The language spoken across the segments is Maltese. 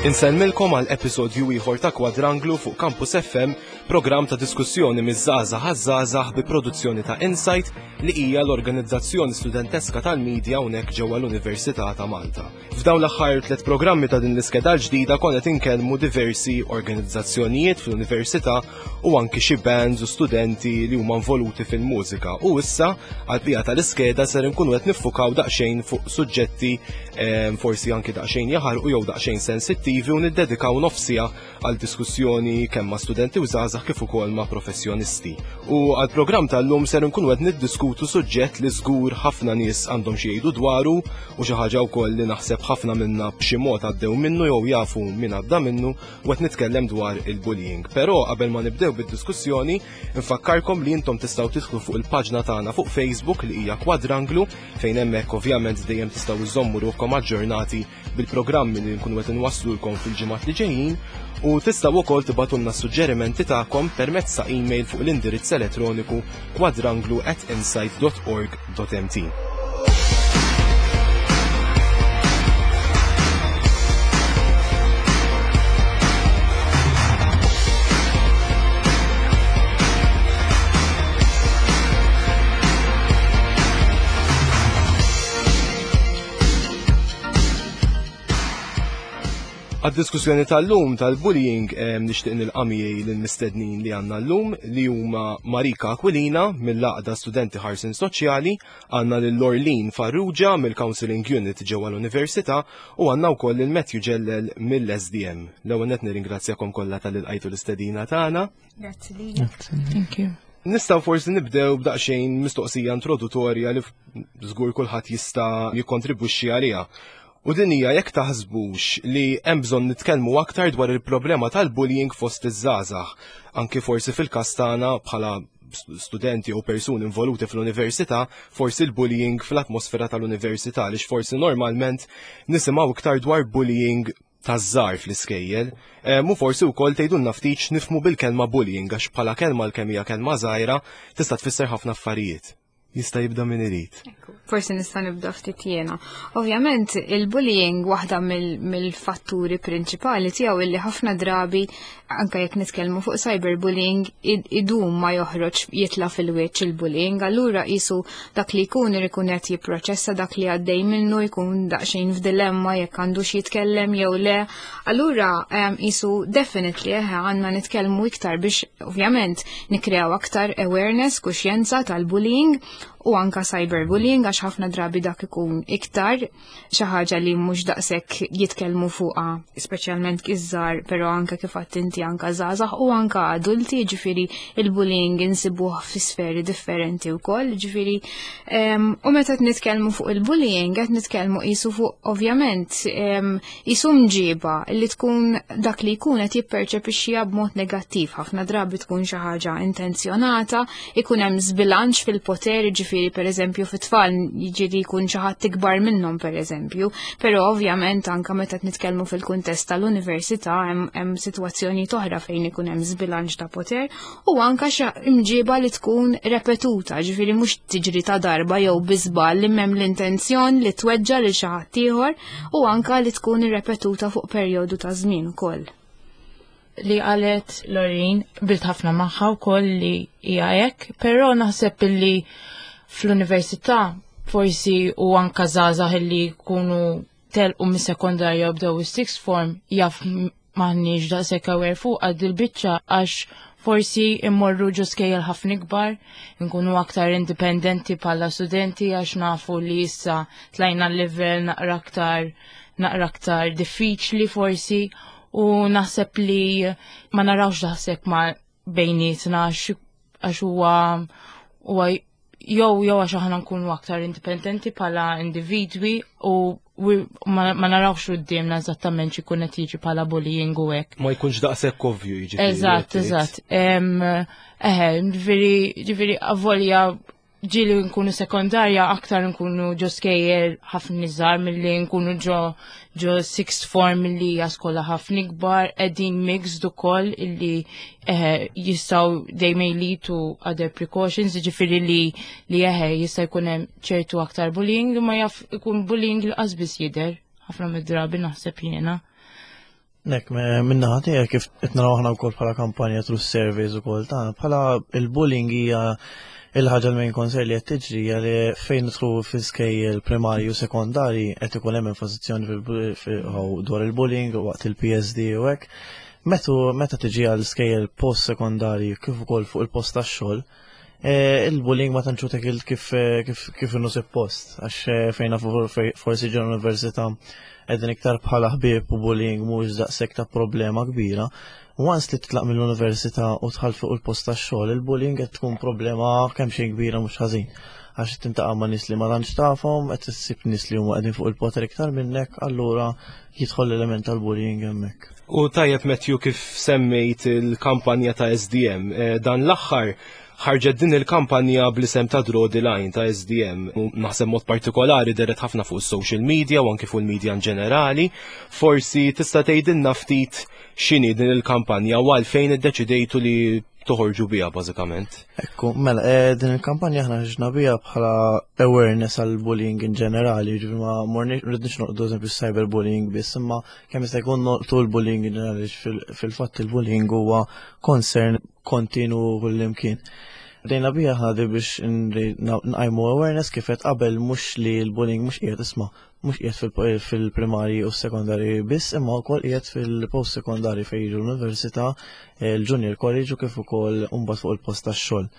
Insellmilkom għal episodju ieħor ta' Kwadranglu fuq Campus FM, programm ta' diskussjoni miż-żgħażagħ għaż-żgħażagħ bi produzzjoni ta' Insight li hija l-organizzazzjoni studenteska tal-medja hawnhekk ġewwa l-Università ta' Malta. F'dawn l-aħħar tliet programmi ta' din l-iskeda l-ġdida konna qed inkellmu diversi organizzazzjonijiet fl-università u anki xi bands u studenti li huma involuti fil-mużika. U issa għall-bqija tal-iskeda ser inkunu qed niffukaw daqsxejn fuq suġġetti ehm, forsi anki daqsxejn jaħarqu jew daqsxejn sensittivi u niddedikaw nofsija għal diskussjoni kemm ma' studenti u żgħażagħ kif ukoll ma' professjonisti. U għall-programm tal-lum ser nkunu qed niddiskutu suġġett li żgur ħafna nies għandhom xi jgħidu dwaru u xi ħaġa wkoll li naħseb ħafna minna b'xi mod għaddew minnu jew jafu min għadda minnu u qed nitkellem dwar il-bullying. Però qabel ma nibdew bid-diskussjoni, nfakkarkom li intom tistgħu tidħlu fuq il-paġna tagħna fuq Facebook li hija Kwadranglu fejn hemmhekk ovvjament dejjem tistgħu iżommu ruħkom aġġornati bil-programmi li nkunu qed inwasslulkom fil-ġimgħat li ġejjin u tistgħu wkoll tibgħatulna suġġerimenti tagħkom permezz ta' email fuq l-indirizz elettroniku kwadranglu@insight.org.mt. Għad-diskussjoni tal-lum tal-bullying nixtieq nilqa' miegħi lill-mistednin li għandna llum li huma Marika Aquilina mill-Għaqda Studenti Ħarsien Soċjali, għandna lil Lorlin Farrugia mill-Counselling Unit ġewwa l-Università u għandna wkoll lil Matthew Ġellel mill-SDM. L-ewwel nett nirringrazzjakom kollha talli lqajtu l-istedina tagħna. Grazzi lilek. Thank you. Nistgħu forsi nibdew b'daqsxejn mistoqsija introduttorja li żgur kulħadd jista' jikkontribwixxi għaliha. U din hija jekk taħsbux li hemm bżonn nitkellmu aktar dwar il-problema tal-bullying fost iż-żgħażagħ, anki forsi fil-każ tagħna bħala studenti u persuni involuti fl-università, forsi l-bullying fl-atmosfera tal-università, għaliex forsi normalment nisimgħu iktar dwar bullying taż-żgħar fl-iskejjel. Mu forsi wkoll tgħidulna ftit x'nifhmu bil-kelma bullying għax bħala kelma l-kemm hija kelma żgħira tista' tfisser ħafna affarijiet. Jista' jibda min irid. Forsi nista' nibda ftit jiena. Ovvjament il-bullying waħda mill-fatturi prinċipali tiegħu illi ħafna drabi anke jekk nitkellmu fuq cyberbullying idum ma joħroġ jitla' fil-wiċċ il-bullying, allura qisu dak li jkun irid ikun qed jipproċessa dak li għaddej minnu jkun daqsxejn f'dilemma jekk għandux jitkellem jew le. Allura qisu definitely eħe għandna nitkellmu iktar biex ovvjament Nikreaw aktar awareness, kuxjenza tal-bullying u anka cyberbullying għax ħafna drabi dak ikun iktar xi ħaġa li mhux daqshekk jitkellmu fuqha, speċjalment iż-żgħar, però anka kif għedt inti anka żgħażagħ u anka adulti, ġifieri il-bullying insibuh fi sferi differenti wkoll, ġifieri u meta qed nitkellmu fuq il-bullying qed nitkellmu qisu fuq ovvjament Qisu mġiba li tkun dak li jkun qed jipperċepixxiha b'mod negattiv, ħafna drabi tkun xi ħaġa intenzjonata, ikun hemm żbilanċ fil-poter, jiġifieri pereżempju fit-tfal jiġri jkun xi ħadd ikbar minnhom pereżempju, però ovvjament anke meta qed nitkellmu fil-kuntest tal-università hemm sitwazzjonijiet oħra fejn ikun hemm żbilanċ ta' poter u anka xi imġiba li tkun repetuta, ġifieri mhux tiġri ta' darba jew bi żball li m'hemm l-intenzjon li tweġġa' lil xi ħadd ieħor u anka li tkun irrepetuta fuq perjodu ta' żmien ukoll. Li qalet Lorin bilt ħafna magħha wkoll li hija hekk, però naħseb illi fl-università forsi u anka żgħażagħ illi jkunu telqu mis-sekondarja u bdew is-sixth form jaf m'aħniex daqshekk aware fuq għad il-biċċa għax forsi immorru ġo skejjel ħafna ikbar, nkunu aktar indipendenti bħala studenti għax nafu li issa tlajna l-level naqra aktar naqra aktar diffiċli forsi u naħseb li ma narawx daqshekk ma bejnietna għax huwa huwa jew jew għax aħna nkunu aktar indipendenti bħala individwi u ma narawx quddiemna eżattament x'ikun qed jiġi bħala bullying u hekk. Ma jkunx daqshekk ovvju jiġifieri. Eżatt, eżatt. Eħe, ġifieri ġifieri avolja ġieli nkunu sekondarja aktar nkunu ġo skejjel ħafna iżgħar milli nkunu ġo ġo sixth form li hija skola ħafna ikbar qegħdin mixed ukoll illi eh, jistgħu they may lead to other precautions, jiġifieri li li eħe jista' jkun hemm ċertu aktar bullying li ma jaf ikun bullying li qas biss jidher ħafna mid-drabi naħseb jiena. Nek, minna tiegħek kif qed naraw aħna wkoll bħala kampanja through surveys ukoll tagħna, bħala il-bullying hija il-ħaġa l-main concern li qed tiġri hija li fejn nidħlu fi skejjel primarji u sekondarji qed ikun hemm enfasizzjoni dwar il-bullying waqt il-PSD u hekk. Metu meta tiġi għal skejjel post sekondarji kif ukoll fuq il-post tax-xogħol, il-bullying ma tantx hu kif kif kif inhu suppost għax fejn nafu forsi ġo l-università qegħdin iktar bħala ħbieb u bullying mhuwiex daqshekk ta' problema kbira. Once li titlaq mill-università u tħall fuq il-post tax-xogħol, il-bullying qed tkun problema kemm xejn kbira mhux ħażin. Għax qed tintaqa' ma' nies li ma tantx tafhom, qed issib nies li huma qegħdin fuq il-poter iktar minnek, allura jidħol l-element tal-bullying hemmhekk. U tajjeb Matthew kif semmejt il-kampanja ta' SDM, dan l-aħħar ħarġet din il-kampanja bl-isem ta' Draw the Line ta' SDM. U naħseb mod partikolari deret ħafna fuq is-social media u anki fuq il-media in ġenerali. Forsi tista' tgħidilna ftit x'inhi din il-kampanja u għalfejn iddeċidejtu li toħorġu biha bażikament. Ekku, mela, din il-kampanja aħna ħriġna biha bħala awareness għal bullying in ġenerali, ġifieri ma morniex rridniex noqdu eżempju cyberbullying biss, imma kemm jista' jkun noqtu l-bullying in ġenerali fil-fatt il-bullying huwa concern kontinu kullimkien. Bdejna biha aħna biex nqajmu awareness kif qed qabel mhux li l-bullying mhux qiegħed isma' mhux qiegħed fil-primarji u s-sekondari biss, imma wkoll qiegħed fil-post sekondari fejn jiġu l-università, il-junior college u kif ukoll mbagħad fuq il-post tax-xogħol.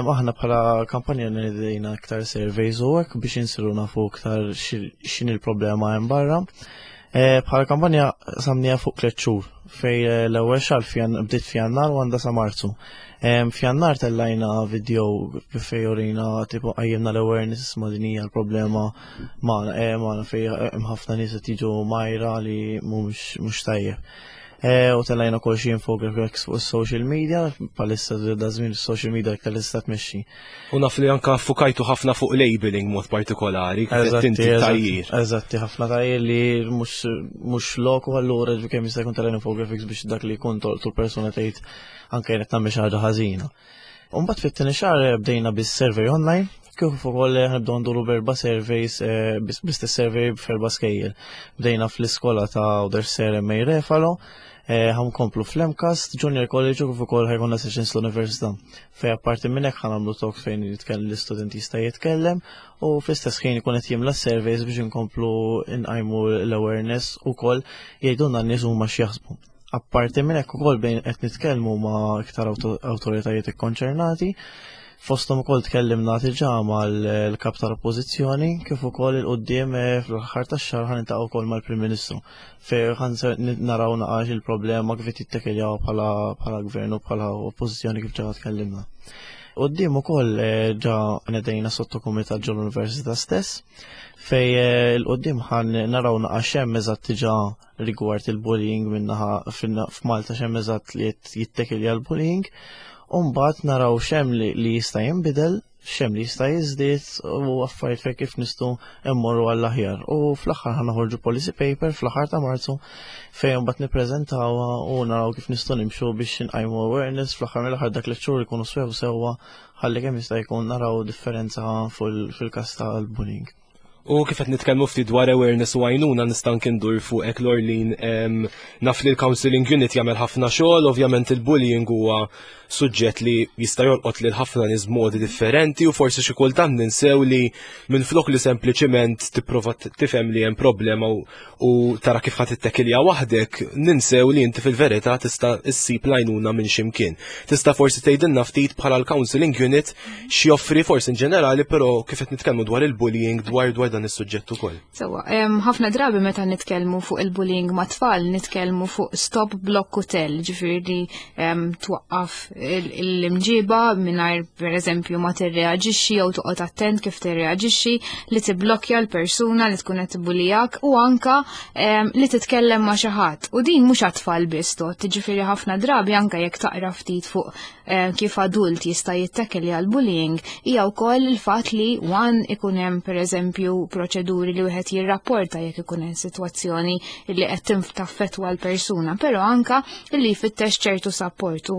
Aħna bħala kampanja nidejna iktar surveys u hekk biex insiru nafu iktar x'inhi l-problema hemm barra. Bħala kampanja samnija fuq 3 xhur fej l-ewwel xahar bdiet f'Jannar u għandha sa Marzu. F'Jannar tellajna video fej urina tipo qajjimna l-awareness ma' din hija l-problema magħna fej hemm ħafna nies qed jiġu majra li mhux tajjeb. U tellajna wkoll xi infographics fuq is-social media, bħalissa da żmien is-social media iktar tista' tmexxi. U naf li anka fukajtu ħafna fuq labeling mod partikolari, kif qed inti tajjir. Eżatti, ħafna tajjir li mhux loku allura ġifieri kemm jista' jkun tellajna infographics biex dak li jkun tolqtu l-persuna tgħid anke jien qed nagħmel xi ħaġa ħażina. U mbagħad fit-tieni xahar bdejna bis-survey online, kif ukoll ħnibdew nduru b'erba' surveys, bl-istess survey f'erba' skejjel. Bdejna fl-iskola ta' Għawdex Sir M. A. Refalo, ħankomplu fl-MCAST, Junior College u kif ukoll ħajkonna sessions l-Università. Fej apparti minn hekk ħanagħmlu talks fejn l-istudent jista' jitkellem u fl-istess ħin ikun qed jimla surveys biex inkomplu nqajmu l-awareness ukoll jgħidulna n-nies huma x'jaħsbu. Apparti minn hekk ukoll bejn qed nitkellmu ma' iktar awtoritajiet ikkonċernati, fosthom ukoll tkellimna diġà mal-kap tal-Oppożizzjoni kif ukoll il-quddiem fl-aħħar tax-xahar ħa niltaqgħu wkoll mal-Prim Ministru fejn ħa naraw naqax il-problema kif qed jittekiljaw bħala gvern u bħala oppożizzjoni kif ġa tkellimna. Quddiem ukoll ġa nedejna sottokumitat ġol l-Università stess fej il-quddiem ħan naraw naqax hemm eżatt diġà rigward il-bullying minnaħa f'Malta x'hemm eżatt li qed jittekilja l-bullying, u mbagħad naraw x'hemm li jista' jinbidel, x'hemm li jista' jiżdied u affarijiet fejn kif nistgħu mmorru għall-aħjar. U fl-aħħar ħa noħorġu policy paper fl-aħħar ta' Marzu fejn mbagħad nippreżentawha u naraw kif nistgħu nimxu biex nqajmu awareness fl-aħħar mill-aħħar dak li xhur ikunu swew sewwa ħalli kemm jista' jkun naraw differenza fil-każ tal-bullying. U kif qed nitkellmu ftit dwar awareness u għajnuna nista' nkindur fuqek Lorleen, naf li l-counseling unit jagħmel ħafna xogħol, ovvjament il-bullying huwa suġġett li jista' jolqot lil ħafna nies b'modi differenti u forsi xi kultant ninsew li minflok li sempliċiment tipprova tifhem li hemm problema u tara kif ħadd ittekilja waħdek, ninsew li inti fil-verità tista' issib l-għajnuna minn x'imkien. Tista' forsi tgħidilna ftit bħala l-counseling unit x'joffri forsi in ġenerali, però kif qed nitkellmu dwar il-bullying dwar dan is-suġġett ukoll. Sewwa, ħafna drabi meta nitkellmu fuq il-bullying ma' tfal, nitkellmu fuq stop, block u tell, ġifieri twaqqaf l-imġiba mingħajr pereżempju ma tirreaġixxi jew toqgħod attent kif tirreaġixxi, li tiblokkja l-persuna li tkun qed tibbulijak u anka li titkellem ma' xi ħadd. U din mhux għat-tfal biss tot, ġifieri ħafna drabi anka jekk taqra ftit fuq kif adult jista' jittekkel għal bullying, hija wkoll il-fatt li one ikun hemm pereżempju proċeduri li wieħed jirrapporta jekk ikun hemm sitwazzjoni li qed taffettwa l-persuna, però anka li jfittex ċertu support u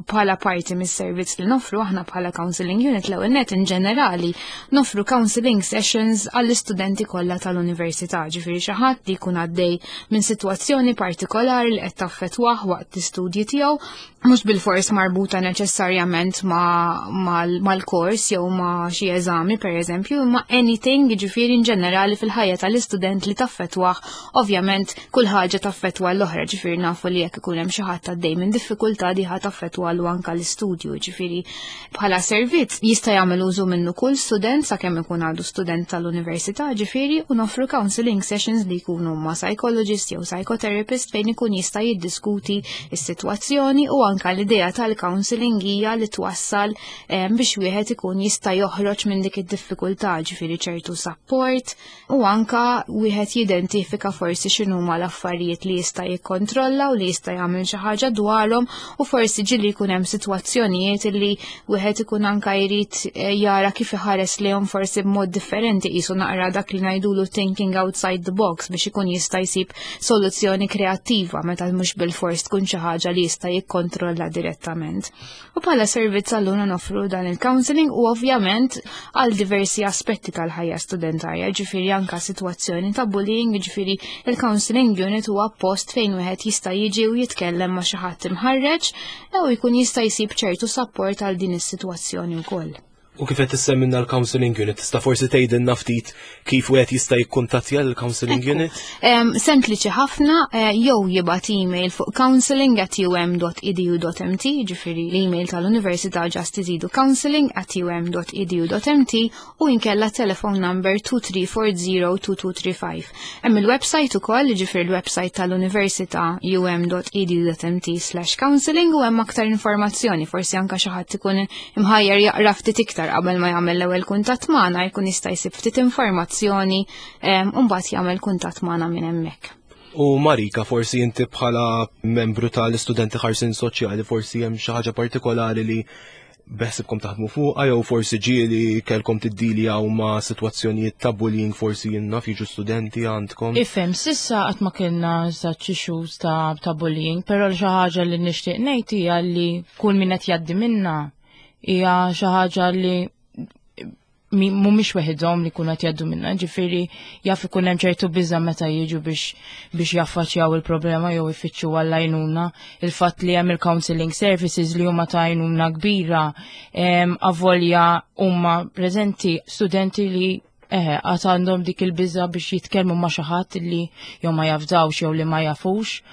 bħala parti mis-servizz li nofru aħna bħala counseling unit l-ewwel net in ġenerali nofru counseling sessions għall-istudenti kollha tal-università, ġifieri xi ħadd li jkun għaddej minn sitwazzjoni partikolari li qed taffettwah waqt l-istudji tiegħu mhux bilfors marbuta neċessarjament mal-kors jew ma' xi eżami pereżempju, imma anything jiġifieri in ġenerali fil-ħajja tal-istudent li taffettwah, ovvjament kull ħaġa taffettwa l-oħra, ġifieri nafu li jekk ikun hemm xi ħadd għaddej minn diffikultà di ħa taffettwalu anke l-istudju, ġifieri bħala servizz jista' jagħmel użu minnu kull student sakemm ikun għadu student tal-università, ġifieri u noffru counseling sessions li jkunu ma' psychologist jew psychotherapist fejn ikun jista' jiddiskuti is-sitwazzjoni u anka l-idea tal-counseling hija li twassal eh, biex wieħed ikun jista' joħroġ minn dik id-diffikultà ġifieri ċertu support u anka wieħed jidentifika forsi x'inhuma l-affarijiet li jista' jikkontrolla u li jista' jagħmel xi ħaġa dwarhom u forsi ġieli jkun hemm sitwazzjonijiet li wieħed ikun anka jrid eh, jara kif iħares lejhom forsi b'mod differenti qisu naqra dak li ngħidulu thinking outside the box biex ikun jista' jsib soluzzjoni kreattiva meta mhux bilfors tkun xi ħaġa li jista' jikkontrolla direttament. U bħala servizz allura nofru dan il-counseling u ovvjament għal diversi aspetti tal-ħajja studentarja, ġifieri anka sitwazzjoni ta' bullying, ġifieri il-counseling unit huwa post fejn wieħed jista' jiġi u jitkellem ma' xi ħadd imħarreġ u jkun jista' jsib ċertu support għal din is-sitwazzjoni wkoll. U kif qed issemminna l-counseling unit, tista' forsi tgħidilna ftit kif wieħed jista' jikkuntattja l-counseling unit? Sempliċi ħafna, eh, jew jibgħat email fuq counseling@um.edu.mt, ġifieri l-email tal-Università just iżidu counseling@um.edu.mt u inkella telephone number 23402235. Hemm il-website ukoll, ġifieri l-website tal-Università um.edu.mt/counseling u hemm aktar informazzjoni, forsi anka xi ħadd ikun imħajjar jaqra ftit iktar qabel ma jagħmel l-ewwel kuntatt magħna jkun jista' jsib ftit informazzjoni u mbagħad jagħmel kuntatt magħna minn hemmhekk. U Marika, forsi inti bħala membru tal-istudenti ħarsin soċjali, forsi hemm xi ħaġa partikolari li beħsibkom taħdmu fuqha jew forsi ġieli kelkom tiddiljaw ma' sitwazzjonijiet ta' bullying forsi jien naf jiġu studenti għandkom. Ifhem, sissa qatt ma kellna such issues ta', ta bullying, però xi ħaġa li nixtieq ngħid hija li kull min qed jgħaddi minna hija xi ħaġa li mhumiex weħidhom li jkunu qed jgħaddu minna, ġifieri jaf ikun hemm ċertu biża' meta jiġu biex biex jaffaċċjaw il-problema jew ifittxu għall-għajnuna. Il-fatt li hemm il-counseling services li huma ta' għajnuna kbira avolja huma preżenti studenti li eħe għad għandhom dik il-biża' biex jitkellmu ma' xi ħadd li jew ma jafdawx jew li ma jafux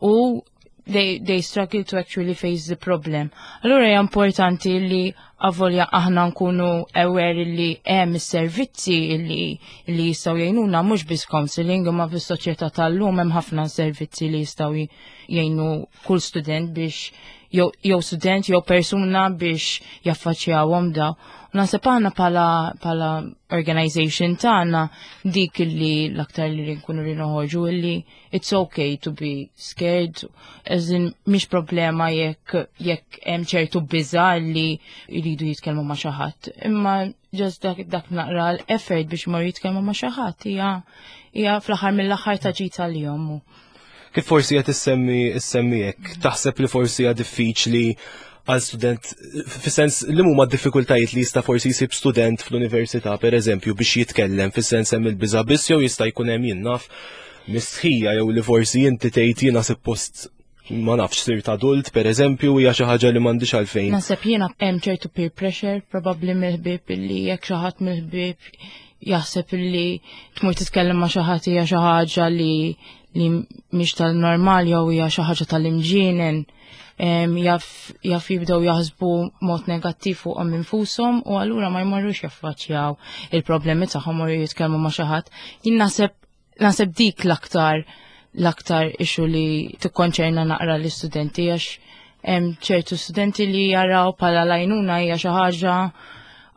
u they, they struggle to actually face the problem. Allura hija importanti li avolja aħna nkunu aware li hemm is-servizzi li li jistgħu jgħinuna mhux biss counseling imma fis-soċjetà tal-lum hemm ħafna servizzi li jistgħu jgħinu kull student biex jew jew student jew persuna biex jaffaċċjawhom daw. Naħseb aħna pala pala organization tagħna dik li l-aktar li nkunu li noħorġu illi it's okay to be scared, as in mhix problema jekk jekk hemm ċertu biża li jridu jitkellmu ma' xi ħadd. Imma just dak, dak naqra l-effort biex mor jitkellmu ma' xi ħadd hija hija fl-aħħar mill-aħħar ta' ġid għalihom. Kif forsi qed issemmi issemmi hekk, taħseb li forsi hija diffiċli għal student, fis-sens li huma d-diffikultajiet li jista' forsi jsib student fl-università, per eżempju, biex jitkellem, fis-sens hemm il-biża' biss jew jista' jkun hemm jien naf mistħija jew li forsi inti tgħid jiena suppost ma nafx sirt adult per eżempju hija xi ħaġa li m'għandix għalfejn. Naħseb jiena hemm ċertu peer pressure probabbli mill-ħbieb illi jekk xi ħadd mill-ħbieb jaħseb illi tmur titkellem ma' xi ħadd hija xi ħaġa li li mhix tal-normal jew hija xi ħaġa tal-imġienen jaf jaf jibdew jaħsbu mod negattiv fuqhom infushom u allura ma jmorrux jaffaċċjaw il-problemi tagħhom u jitkellmu ma' xi ħadd. Jien naħseb naħseb dik l-aktar l-aktar issue li tikkonċerna naqra l-istudenti għax hemm ċertu studenti li jaraw bħala l-għajnuna hija xi ħaġa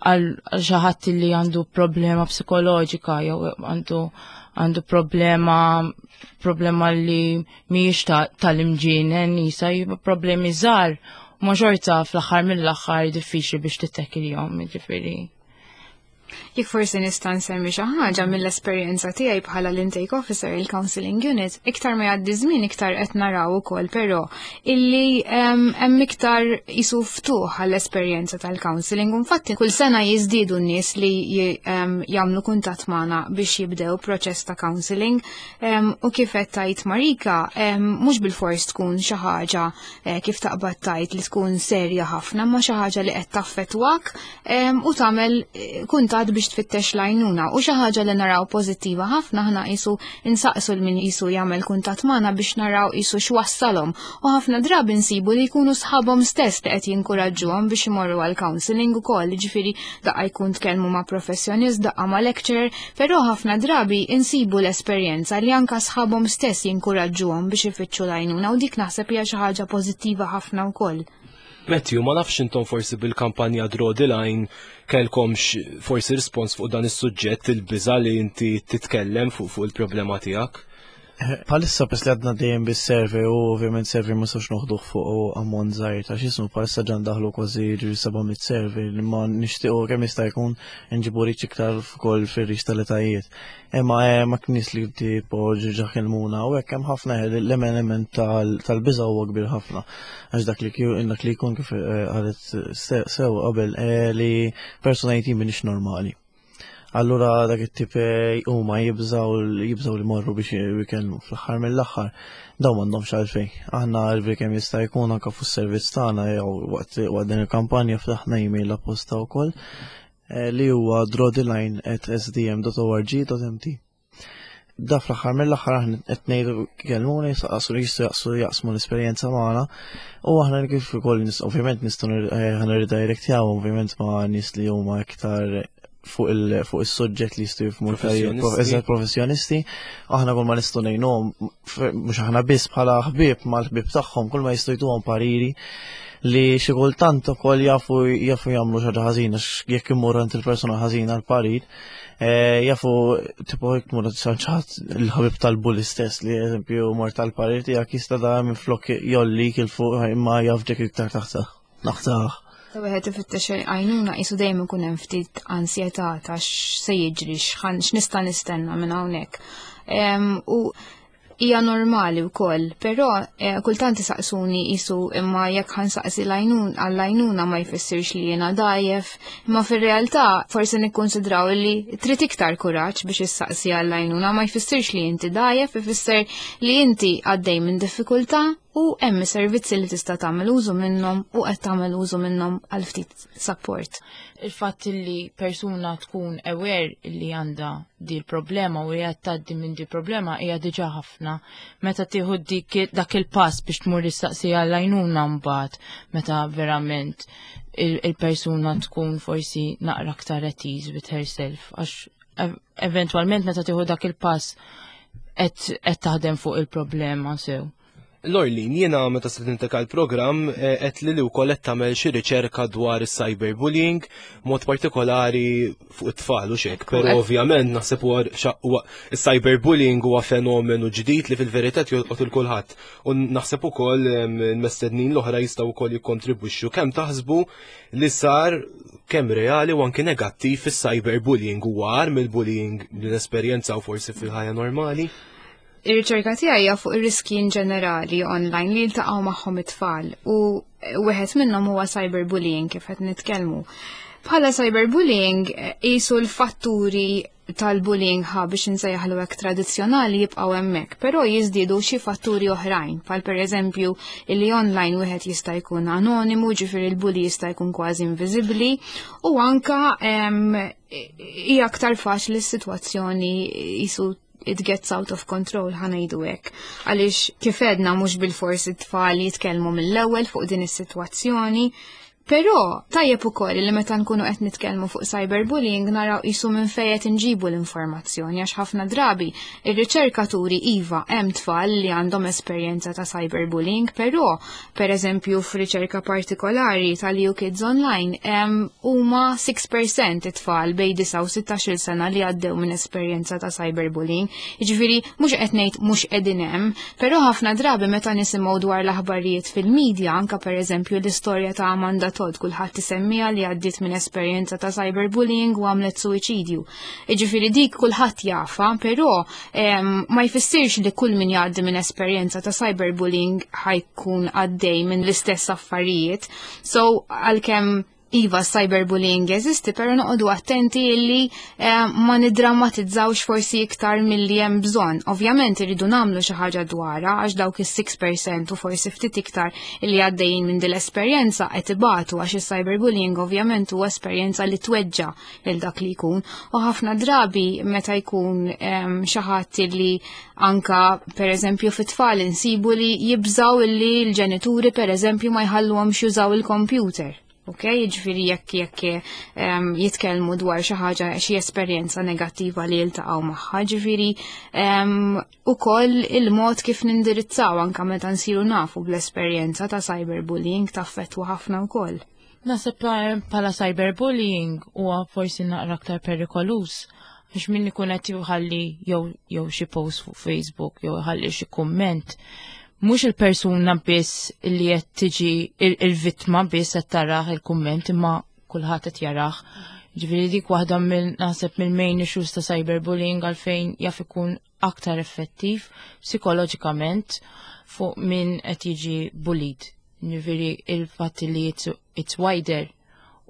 għal xi ħadd li għandu problema psikoloġika jew għandu għandu problema problema li mhijiex tal-imġienen jisa problemi żgħar ma xorta fl-aħħar mill-aħħar diffiċli biex tittekiljhom, jiġifieri. Jekk forsi nista' nsemmi xi ħaġa mill-esperjenza tiegħi bħala l-intake officer il-counseling unit, iktar ma jgħaddi żmien iktar qed naraw ukoll però illi hemm iktar isu ftuħ għall-esperjenza tal-counseling. Infatti kull sena jiżdiedu n-nies li jagħmlu kuntatt magħna biex jibdew proċess ta' counseling u kif qed tgħid Marika mhux bilfors tkun xi ħaġa eh, kif taqbad tajt li tkun serja ħafna ma xi ħaġa li qed taffettwak u tagħmel eh, kuntat biex tfittex l-għajnuna u xi ħaġa li naraw pożittiva ħafna aħna qisu insaqsu l min qisu jagħmel kuntatt magħna biex naraw qisu x'wassalhom u ħafna drabi nsibu li jkunu sħabhom stess li qed jinkuraġġuhom biex imorru għal counseling ukoll, ġifieri daqqa jkun tkellmu ma' professjonist, daqqa ma' lecturer, però ħafna drabi insibu l-esperjenza li anka sħabhom stess jinkuraġġuhom biex ifittxu l-għajnuna u dik naħseb hija xi ħaġa pożittiva ħafna wkoll. Matthew, ma nafx intom forsi bil-kampanja Draw the Line kellkomx forsi rispons fuq dan is-suġġett il-biża li inti titkellem fuq fuq il-problema tiegħek. Palissa pes li għadna dejjem bis-survey u ovvjament survey ma sawx noħduh fuq ammont żgħir ta' x'ismu palissa ġan daħlu kważi ġiri 700 survey li ma nixtiequ kemm jista' jkun nġibu riċ iktar fuq fir-riċ tal-etajiet. Imma eh, ma knis li tipo ġiġa kelmuna u hekk hemm ħafna eh, l-element tal-biża huwa kbir ħafna. Għax dak li dak li jkun kif eh, qalet sew qabel li persuna jtim minix normali. Allura dak it-tip eh, huma jibżaw jibżaw li morru biex jikellmu fl-aħħar mill-aħħar dawn m'għandhomx għalfejn. Aħna għalfejn kemm jista' jkun anke fuq servizz tagħna jew waqt din il-kampanja ftaħna email apposta wkoll eh, li huwa drawtheline@sdm.org.mt. Da fl-aħħar mill-aħħar aħna qed ngħidu kellmuni saqsu li jistgħu jaqsu jaqsmu l-esperjenza magħna u aħna kif ukoll ovvjament nistgħu eh, ħana redirectjaw ovvjament ma' nies li huma iktar fuq il fuq is-suġġett li jistgħu jifhmu eżatt professjonisti, aħna kull ma nistgħu ngħinuhom mhux aħna biss bħala ħbieb mal-ħbieb tagħhom kull ma jistgħu jtuhom pariri li xi kultant ukoll jafu jafu jagħmlu xi ħaġa ħażina jekk imur għand il-persuna ħażina l-parir Eh, jafu tipo jekk tmur ċaċat il-ħabib tal-bulli stess li eżempju mor tal-parir tiegħek jista' da minn flok jollik il fuq imma jaf dik iktar taħta. Naħtaħ. Ta' wieħed ifittex għajnuna qisu dejjem ikun hemm ftit ansjetà ta' x'se jiġri x'nista' nistenna minn hawnhekk. U hija normali wkoll, però eh, kultant isaqsuni isu imma jekk ħansaqsi għall-għajnuna ma jfissirx li jiena dajjef, imma fir-realtà forsi nikkonsidraw li trid iktar kuraġġ biex issaqsi għall-għajnuna ma jfissirx li inti dajjef, ifisser li inti għaddej minn diffikultà u hemm servizzi li tista' tagħmel użu minnhom u qed tagħmel użu minnhom għal ftit support. Il-fatt li persuna tkun aware li għandha di l-problema u hija tgħaddi minn di problema hija diġà ħafna. Meta tieħu dik dak il-pass biex tmur issaqsi għall-għajnuna mbagħad meta verament il-persuna tkun forsi naqra aktar at ease with herself għax eventwalment meta tieħu dak il-pass qed taħdem fuq il-problema sew. Lorlin, jiena meta stedintek għal-programm eh, qed li li wkoll qed tagħmel xi riċerka dwar is-cyberbullying, mod partikolari fuq it-tfal u xek, però ovvjament naħseb huwa is-cyberbullying huwa fenomenu ġdid li fil-verità jolqot il kulħadd. U naħseb ukoll il-mestednin l-oħra jistgħu wkoll jikkontribwixxu kemm taħsbu li sar kemm reali u anki negattiv fis-cyberbullying huwa agħar mill-bullying li nesperjenzaw forsi fil-ħajja normali. Ir-riċerka tiegħi hija fuq ir-riski in ġenerali online li jiltaqgħu magħhom it-tfal u wieħed minnhom huwa cyberbullying kif qed nitkellmu. Bħala cyberbullying qisu l-fatturi tal-bullying ħa biex insejjaħlu hekk tradizzjonali jibqgħu hemmhekk, però jiżdiedu xi fatturi oħrajn, bħal pereżempju li online wieħed jista' jkun anonimu, ġifieri l-bully jista' jkun kważi inviżibbli, u anka hija aktar faċli s-sitwazzjoni jisu it gets out of control ħanajdu hekk. Għaliex kif edna mhux bil-fors it-tfal jitkellmu mill-ewwel fuq din is-sitwazzjoni, Però tajjeb ukoll li meta nkunu qed nitkellmu fuq cyberbullying naraw qisu minn fejn qed inġibu l-informazzjoni għax ħafna drabi ir-riċerkaturi iva hemm tfal li għandhom esperjenza ta' cyberbullying, però pereżempju f'riċerka partikolari tal-EU Kids Online huma 6% it-tfal bejn 9 u 16 sena li għaddew minn esperjenza ta' cyberbullying. Jiġifieri mhux qed ngħid mhux qegħdin hemm, però ħafna drabi meta nisimgħu dwar l-aħbarijiet fil-medja, anka pereżempju l-istorja ta' Amanda Todd kulħadd isemmiha li għaddiet minn esperjenza ta' cyberbullying u għamlet suwiċidju. Jiġifieri dik kulħadd jafha, però ma jfissirx li kull min jgħaddi minn esperjenza ta' cyberbullying ħa jkun għaddej minn l-istess affarijiet. So għalkemm iva cyberbullying jeżisti, pero noqogħdu attenti illi ma nidrammatizzawx forsi iktar milli hemm bżonn. Ovvjament irridu nagħmlu xi ħaġa dwarha għax dawk is-6% u forsi ftit iktar illi għaddejjin minn din l-esperjenza qed ibatu għax is-cyberbullying ovvjament huwa esperjenza li tweġġa lil dak li jkun. U ħafna drabi meta jkun xi ħadd illi anka pereżempju fit-tfal insibu li jibżaw illi l-ġenituri pereżempju ma jħalluhomx jużaw il-computer. Ok, jiġifieri jekk jitkellmu dwar xi ħaġa, xi esperjenza negattiva li jiltaqgħu magħha, ġifieri ukoll il-mod kif nindirizzaw anka meta nsiru nafu bl-esperjenza ta' cyberbullying taffettwa ħafna wkoll. Naħseb bħala cyberbullying huwa forsi naqra aktar perikoluż għax min ikun qed jħalli jew xi post fuq Facebook jew jħalli xi kumment, mhux il-persuna biss li qed tiġi il-vittma biss qed tarah il-kumment imma kulħadd qed jarah. Ġifieri dik waħda mill naħseb mill-main issues ta' cyberbullying għalfejn jaf ikun aktar effettiv psikoloġikament fuq min qed jiġi bullied. Ġifieri il-fatt li it's wider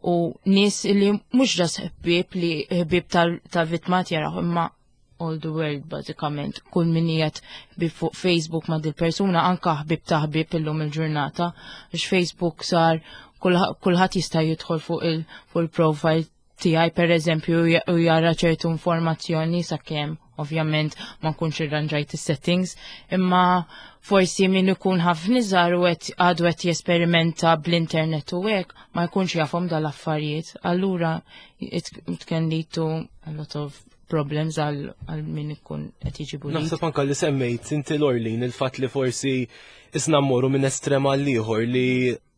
u nies li mhux ġas ħbieb li ħbieb tal-vittma jaraw imma all the world bażikament. Kull min qiegħed ħbieb fuq Facebook ma' dil-persuna anka ħbieb ta' ħbieb illum il-ġurnata għax Facebook sar kulħadd jista' jidħol fuq il-profile tiegħi pereżempju u jara ċertu informazzjoni sakemm ovvjament ma nkunx irranġajt is-settings, imma forsi min ikun ħafna iżgħar u qed għadu qed jesperimenta bl-internet u hekk ma jkunx jafhom dal-affarijiet. Allura it can lead to a lot of problems għal min ikun qed jiġi bullied. Naħseb anka li semmejt inti Lorlin il-fatt li forsi isna mmorru minn estrem għal ieħor li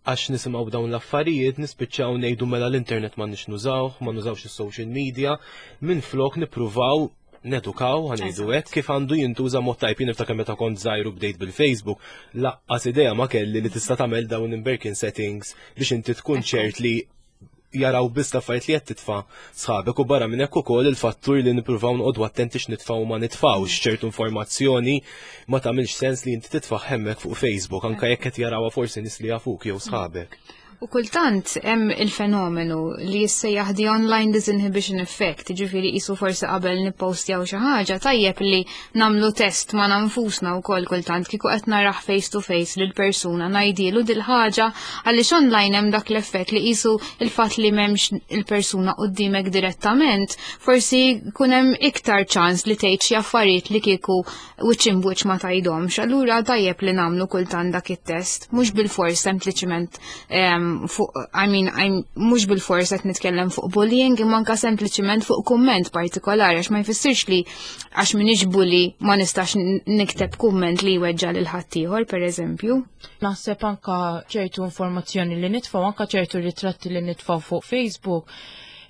għax nisimgħu dawn l-affarijiet nispiċċaw ngħidu mela l-internet ma nix nużawh, ma nużawx is-social media, minn flok nippruvaw nedukaw, ħa ngħidu hekk, kif għandu jintuża mod tajb. Jien niftakar meta kont żgħir u bdejt bil-Facebook, lanqas idea ma kelli li tista' tagħmel dawn imberkin settings biex inti tkun ċert li jaraw biss l-affarijiet li qed titfa' sħabek u barra minn hekk ukoll il-fattur li nippruvaw noqogħdu attenti x'nitfgħu u ma nitfgħux ċertu informazzjoni ma tagħmilx sens li inti titfa' hemmhekk fuq Facebook anke jekk qed jarawha forsi nies li jafuk jew sħabek. U kultant hemm il-fenomenu li jissejjaħ the online disinhibition effect, ġifieri qisu forsi qabel nippostjaw xi ħaġa tajjeb li nagħmlu test ma' nfusna wkoll kultant kieku qed narah face to face lil persuna ngħidilu dil-ħaġa għaliex online hemm dak l-effett li qisu il-fatt li m'hemmx il-persuna quddiemek direttament, forsi jkun hemm iktar ċans li tgħid xi affarijiet li kieku wiċċ imb wiċċ ma tgħidhomx. Allura tajjeb li nagħmlu kultant dak it-test, mhux bil-fors sempliċiment fuq, I mean, mhux bil-fors qed nitkellem fuq bullying, imma anka sempliċiment fuq kumment partikolari, għax ma jfissirx li għax m'iniex bully ma nistax nikteb kumment li jweġġa' lil ħaddieħor, pereżempju. Naħseb anka ċertu informazzjoni li nitfgħu, anka ċertu ritratti li nitfgħu fuq Facebook,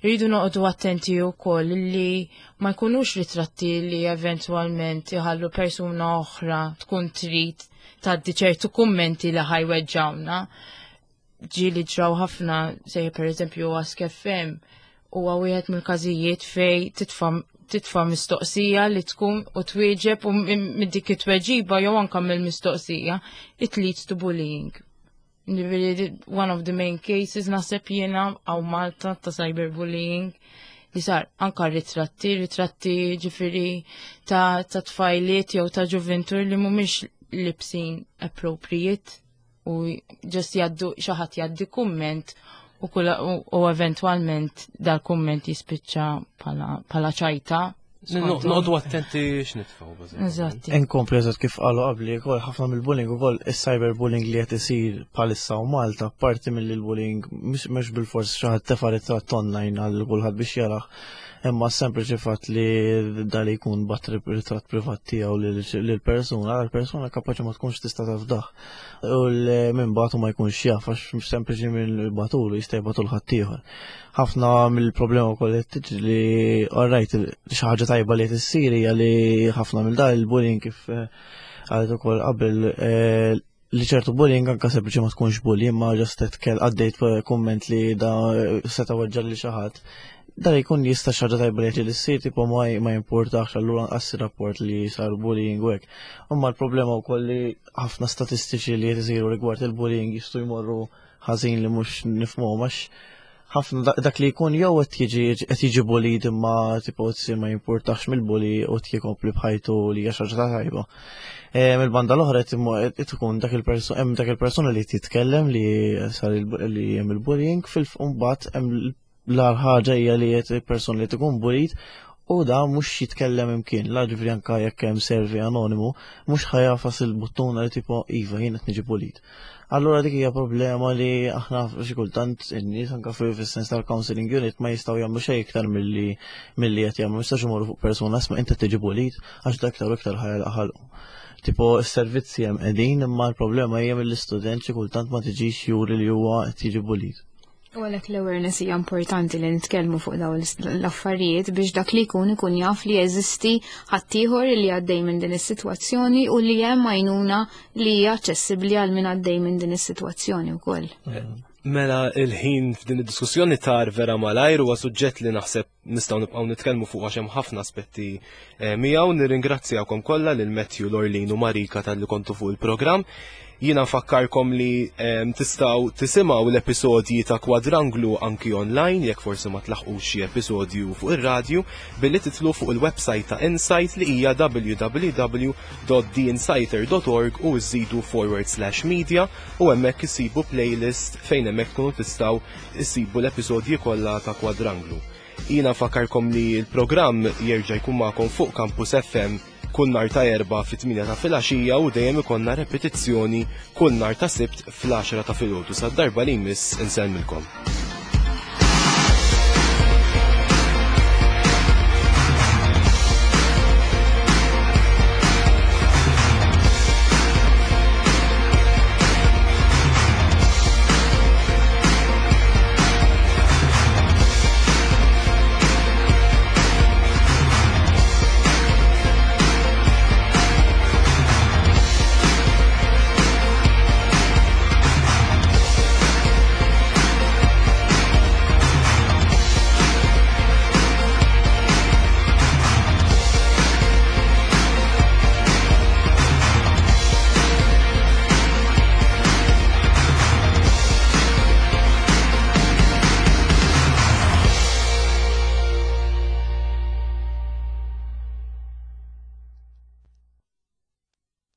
rridu noqogħdu attenti wkoll li ma jkunux ritratti li eventwalment iħallu persuna oħra tkun trid tgħaddi ċertu kummenti li ħa jweġġgħuna. Ġieli ġraw ħafna, sejjer per eżempju Ask FM, huwa wieħed mill-każijiet fej titfa' mistoqsija li tkun u twieġeb u minn dik it-tweġiba jew anka mill-mistoqsija it leads to bullying. Ġifieri, one of the main cases naħseb jiena hawn Malta ta' cyberbullying li sar anka ritratti ġifieri ta' tfajliet jew ta' ġuventur li mhumiex libsin appropriate u just jgħaddu xi ħadd jgħaddi kumment u eventwalment dal-kumment jispiċċa bħala ċajta. Noqogħdu attenti x'nitfgħu, bażikament. Eżatti. Inkompli eżatt kif qalu qabli, ukoll ħafna mill-bullying ukoll is-cyberbullying li qed isir bħalissa u Malta, parti mill-bullying mhux bil-fors xi ħadd tefa' ritratt online għal kulħadd biex jarah, imma sempliċi fatt li dali jkun bagħat ritratt privat tiegħu lil persuna, l-persuna kapaċi ma tkunx tista' tafdah. U minn bagħtu ma jkunx jaf għax sempliċi minn bagħtulu jista' jibgħatu 'l ħaddieħor. Ħafna mill-problema wkoll qed tiġri li alright xi ħaġa tajba li qed issir hija li ħafna mill dan il-bullying kif qalet ukoll qabel. li ċertu bullying anka sempliċi ma tkunx bully imma just tkel għaddejt kumment li da seta' weġġa' lil xi ħadd. Dan jkun jista' xi ħaġa tajba li qed issir tipo ma ma jimpurtax allura anqas rapport li sar bullying u hekk. Imma l-problema wkoll li ħafna statistiċi li qed isiru rigward il-bullying jistgħu jmorru ħażin li mhux nifhmuhom għax ħafna dak li jkun jew qed jiġi qed jiġi bullied imma tipo tsir ma jimpurtax mill-bully u qed jkompli b'ħajtu li hija xi ħaġa tajba. Mill-banda l-oħra qed tkun dak il-persuna hemm dak il-persuna li titkellem li sar li hemm il-bullying fil-mbagħad hemm l-agħar ħaġa hija li qed il-persuna li tkun bullied u da mhux jitkellem imkien, la ġifieri anke jekk hemm survey anonimu, mhux ħa jagħfas il-buttuna li tipo iva jien qed niġi bullied. Allura dik hija problema li aħna xi kultant in-nies anke fis-sens tal-counseling unit ma jistgħu jagħmlu xejn iktar milli milli qed jagħmlu. Jistax imorru fuq persuna isma' inti tiġi bullied għax dak iktar u iktar ħa jagħlaq ħalqu. Tipo s-servizzi hemm qegħdin imma l-problema hija mill-istudent xi kultant ma tiġix juri li huwa qed jiġi bullied. U għalhekk l-awareness hija importanti li nitkellmu fuq dawn l-affarijiet biex dak li jkun ikun jaf li jeżisti ħaddieħor li għaddej minn din is-sitwazzjoni u li hemm għajnuna li hija aċċessibbli għal min għaddej minn din is-sitwazzjoni wkoll. Mela il-ħin f'din id-diskussjoni tar vera malajr huwa suġġett li naħseb nistgħu nibqgħu nitkellmu fuq għax hemm ħafna aspetti eh, miegħu. Nirringrazzjakom kollha lil Matthew, Lorlin u Marika talli kontu fuq il-programm. Jiena nfakkarkom li ehm, tistgħu tisimgħu l-episodji ta' Kwadranglu anki online jekk forsi ma tlaħqux xi episodju fuq ir-radju billi titlu fuq il-website ta' Insight li hija www.theinsighter.org u żidu forward slash media u hemmhekk isibu playlist fejn hemmhekk tkunu tistgħu issibu l-episodji kollha ta' Kwadranglu. Jiena nfakkarkom li l-programm jerġa' jkun magħkom fuq Campus FM kull nhar ta' Erbgħa fit-8 ta' filgħaxija u dejjem ikollna repetizzjoni kull nhar ta' Sibt fl-10 ta' filgħodu. Sad-darba li jmiss insellmilkom.